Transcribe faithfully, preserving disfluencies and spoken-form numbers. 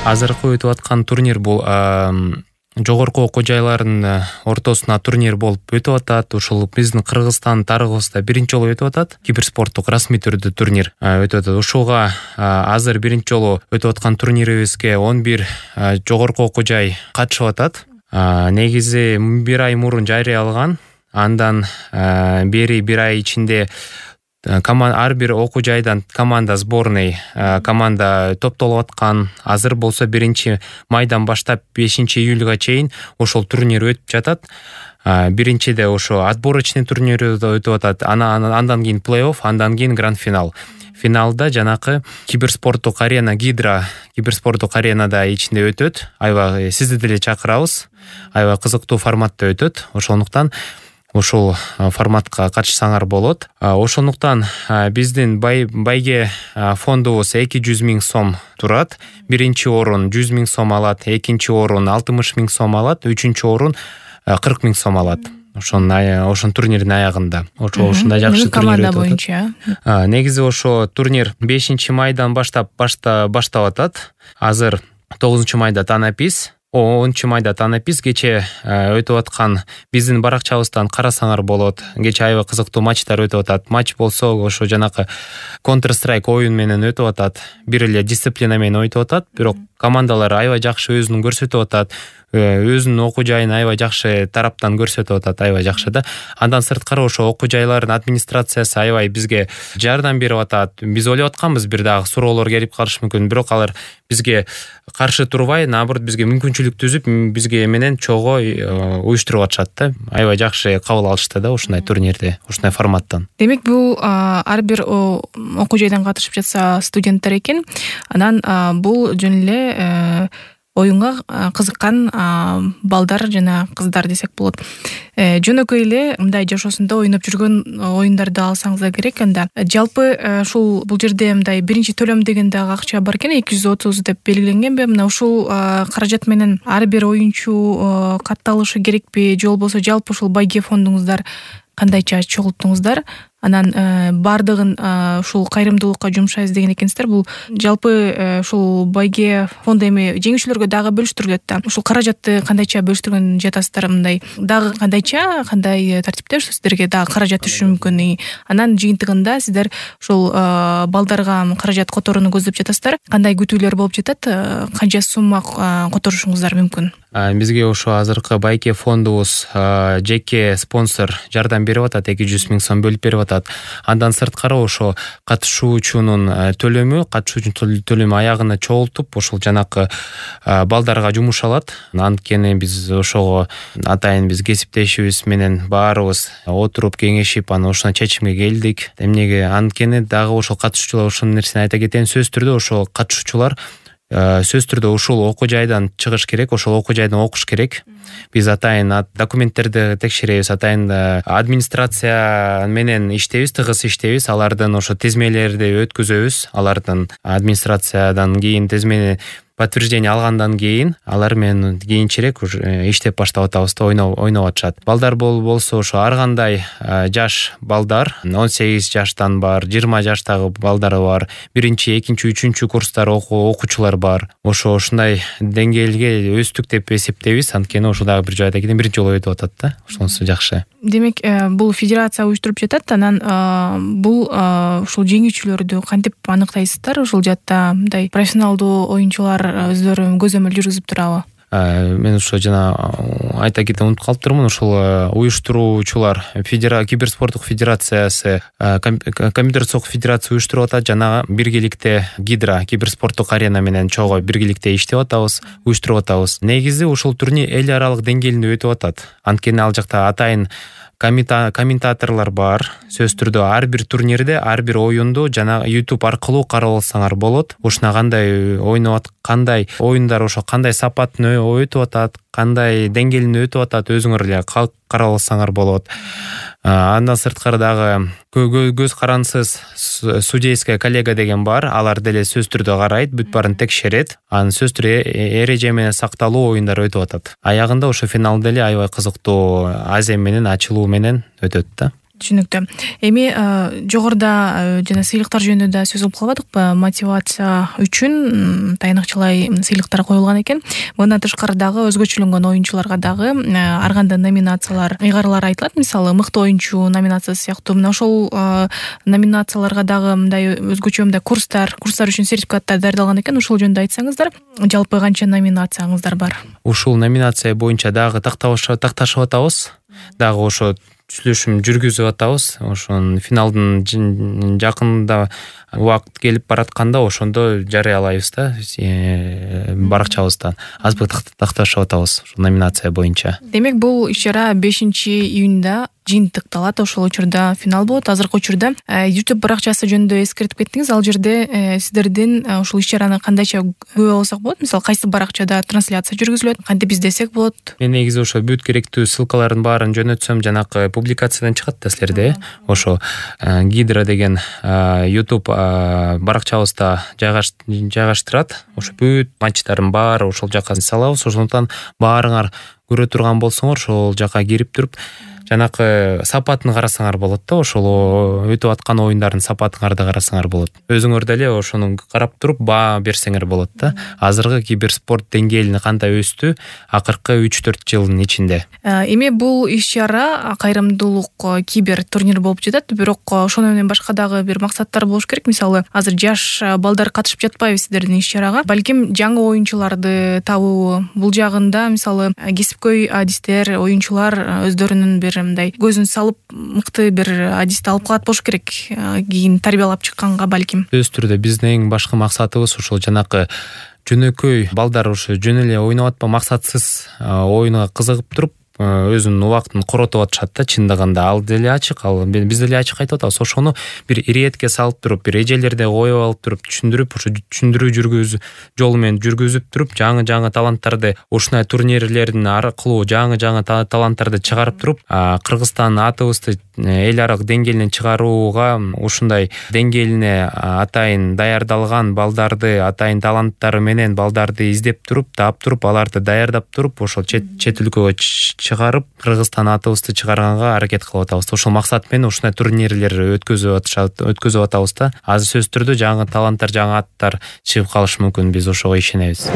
Азыркы өтүп аткан турнир бул жогорку окуу жайларынын ортосуна турнир болуп өтүп атат. Ушул биздин Кыргызстан тарыхыбызда биринчи жолу өтүп атат. Киберспорттук расмий түрдө турнир өтүп атат. Ушуга азыр биринчи жолу өтүп аткан турнирибизге он бир жогорку окуу жай катышып атат. Негизи бир ай мурун жарыяланган. Андан бери бир ай ичинде ар бир окуу жайдан команда сборный команда топтолуп аткан. Азыр болсо биринчи майдан баштап бешинчи июлга чейин ошол турнир өтүп жатат. Биринчиде ошо отборочный турнир өтүп атат. Андан кийин плей-офф, андан кийин гранд-финал. Финалда жанакы киберспорттук арена Гидра киберспорттук аренада ичинде өтөт. Аябай сизди деле чакырабыз. Аябай кызыктуу форматта өтөт. Ошондуктан ушул форматка катышсаңар болот. Ошондуктан биздин байге фондубуз эки жүз миң сом турат. Биринчи орун жүз миң сом алат, экинчи орун алтымыш миң сом алат, үчүнчү орун кырк миң сом алат. Ошон ошон турнирдин аягында. Ошо ушундай жакшы турнир боюнча. Негизи ошо турнир бешинчи майдан баштап баштап атат. Азыр тогузунчу майда танапис, онунчу майда танапис. Кече өтүп аткан биздин баракчабыздан карасаңар болот. Кече аябай кызыктуу матчтар өтүп атат. Матч болсо ошо жанакы Counter Strike оюн менен өтүп атат. Бир эле дисциплина менен өтүп атат. Бирок командалар аябай жакшы өзүн көрсөтүп атат. Өзүнүн окуу жайын аябай жакшы тараптан көрсөтүп атат, аябай жакшы да. Андан сырткары ошо окуу жайлардын администрациясы аябай бизге жардам берип атат. Биз ойлоп атканбыз бир дагы суроолор келип калышы мүмкүн, бирок алар бизге каршы турбай, наоборот бизге мүмкүнчүлүк түзүп, бизге менен чогуу уюштуруп атышат да. Аябай жакшы кабыл алышты да ушундай турнирди, ушундай форматтан. Демек бул ар бир окуу жайдан катышып жатса студенттер экен. Анан бул жөн эле оюнга кызыккан балдар жана кыздар десек болот. Жөнөкөй эле мындай жашоосунда ойноп жүргөн оюндарды алсаңыз да керек. Анда жалпы ушул бул жерде мындай биринчи төлөм деген дагы акча бар экен, эки жүз отуз деп белгиленгенби? Мына ушул каражат менен ар бир оюнчу катталышы керекпи, же болбосо жалпы ушул байге фондуңуздар кандайча чогулттуңуздар? Анан бардыгын ушул кайрымдуулукка жумшайбыз деген экенсиздер. Бул жалпы ушул байге фонду эми жеңүүчүлөргө дагы бөлүштүрүлөт да. Ушул каражатты кандайча бөлүштүргөн жатасыздар? Мындай дагы кандайча, кандай тартипте ушу сиздерге дагы каражат түшүшү мүмкүн? Анан жыйынтыгында сиздер ушул балдарга каражат которууну көздөп жатасыздар. Кандай күтүүлөр болуп жатат? Канча сумма которушуңуздар мүмкүн? Бизге ошо азыркы байке фондубуз жеке спонсор жардам берип атат, эки жүз миң сом бөлүп берип атат. Андан сырткары ошо катышуучунун төлөмү, катышуучунун төлөмү аягына чогултуп, ошол жанакы балдарга жумушалат. Анткени биз ошого атайын биз кесиптешибиз менен баарыбыз отуруп кеңешип, анан ошондой чечимге келдик. Эмнеге? Анткени дагы ошол катышуучулар, ошол нерсени айта кетейин, сөзсүз түрдө ошол катышуучулар сөзсүз түрдө ушул окуу жайдан чыгыш керек, ошол окуу жайдан окуш керек. Биз атайын документтерди текшеребиз, атайын администрация менен иштейбиз, тыгыз иштейбиз. Алардын ошо тизмелерди өткүзөбүз. Алардын администрациядан кийин тизмени подтверждение алгандан кийин алар менен кийинчерээк уже иштеп баштап атабыз да, ойноп ойноп атышат. Балдар болсо ошо ар кандай жаш балдар, он сегиз жаштан бар, жыйырма жаштагы балдар бар, биринчи, экинчи, үчүнчү курстар окуучулар бар. Ошо ушундай деңгээлге өстүк деп эсептейбиз. Анткени ошо дагы бир жайда кийин биринчи жолу өтүп атат да. Ошонусу жакшы. Демек, бул федерация уюштуруп жатат. Анан бул ушул жеңүүчүлөрдү кантип аныктайсыздар? Ушул жакта мындай профессионалдуу оюнчулар өздөрү көзөмөл жүргүзүп турабы? Мен ошо жана айта кетип унутуп калыптырмын. Ушул уюштуруучулар киберспорттук федерациясы, компьютердик федерация уюштуруп атат. Жана биргеликте Гидра киберспорттук арена менен чогуу биргеликте иштеп атабыз, уюштуруп атабыз. Негизи ушул турнир эл аралык деңгээлинде өтүп атат. Анткени ал жакта атайын комментаторлор бар. Сөзсүз түрдө ар бир турнирде, ар бир оюнду жана YouTube аркылуу карап алсаңар болот. Ушуна кандай ойноп атат, кандай оюндар, ошо кандай сапатын өтүп атат, кандай деңгээлинде өтүп атат, өзүңөр эле карап алсаңар болот. Андан сырткары дагы көз карансыз судейская коллега деген бар. Алар деле сөзсүз түрдө карайт, бүт баарын текшерет. Анын сөзсүз түрдө эреже менен сакталуу оюндар өтүп атат. Аягында ошо финал деле аябай кызыктуу азем менен, ачылуу менен өтөт да. Түшүнүктүү. Эми жогоруда жана сыйлыктар жөнүндө да сөз кылып калбадыкпы? Мотивация үчүн тайнакчалай сыйлыктар коюлган экен. Мындан тышкары дагы өзгөчөлөнгөн оюнчуларга дагы ар кандай номинациялар, ыйгаралар айтылат. Мисалы, мыкты оюнчу номинациясы сыяктуу. Мына ошол номинацияларга дагы мындай өзгөчө мындай курстар, курстар үчүн сертификаттар даярдалган экен. Ошол жөнүндө айтсаңыздар, жалпы канча номинацияңыздар бар? Ушул номинация боюнча дагы такташып атабыз. Дагы ошо сүйлөшүм жүргүзүп атабыз. Ошонун финалдын жакында убакыт келип баратканда ошондо жарыялайбыз да, баракчабызда. Азбы такташып атабыз ушул номинация боюнча. Демек, бул иш-чара бешинчи июнда жыйынтыкталат. Ошол учурда финал болот. Азыркы учурда YouTube баракчасы жөнүндө эскертип кеттиңиз. Ал жерде сиздердин ушул иш-чараны кандайча көрө алсак болот? Мисалы, кайсы баракчада трансляция жүргүзүлөт, кантип издесек болот? Мен негизи ошо бүт керектүү ссылкалардын баарын жөнөтсөм, жанакы публикациядан чыгат да силерде. Ошо Гидро деген YouTube баракчабызда жайгаштырат. Ошо бүт матчтардын баары ошол жака салабыз. Ошондуктан баарыңар көрө турган болсоңор, ошол жака кирип туруп жанакы сапатын карасаңар болот да, ошол өтүп аткан оюндардын сапатыңарды карасаңар болот. Өзүңөр деле ошону карап туруп баа берсеңер болот да. Азыркы киберспорт деңгээлине кандай өстү акыркы үч төрт жылдын ичинде. Эми бул иш-чара кайрымдуулук кибер турнир болуп жатат, бирок ошону менен башка дагы бир максаттар болуш керек. Мисалы, азыр жаш балдар катышып жатпайбы сиздердин иш-чарага? Балким жаңы оюнчуларды табуу, бул жагында мисалы кесипкөй адистер, оюнчулар өздөрүнүн бир мындай көзүн салып мыкты бир адисти алып калат болуш керек, кийин тарбиялап чыкканга балким. Өз түрдө биздин эң башкы максатыбыз ушул жанакы жөнөкөй балдар ушу жөн эле ойноп атпа, максатсыз оюнга кызыгып туруп өзүнүн убактын коротуп атышат да. Чындыгында ал деле ачык, ал биз деле ачык айтып атабыз. Ошону бир иретке салып туруп, бир эжелерде коюп алып туруп, түшүндүрүп, ошо түшүндүрүү жүргүзүү жолу менен жүргүзүп туруп, жаңы-жаңы таланттарды ушундай турнирлердин аркылуу жаңы-жаңы таланттарды чыгарып туруп, Кыргызстан атыбызды эл аралык деңгээлине чыгарууга ушундай деңгээлине атайын даярдалган балдарды, атайын таланттары менен балдарды издеп туруп, таап туруп, аларды даярдап туруп, ошол чет өлкөгө чыгарып, Кыргызстан атыбызды чыгарганга аракет кылып атабыз. Ошол максат менен ушундай турнирлер өткөзүп атышат, өткөзүп атабыз да. Азыр сөз түрдө жаңы таланттар, жаңы аттар чыгып калышы мүмкүн. Биз ошого ишенебиз.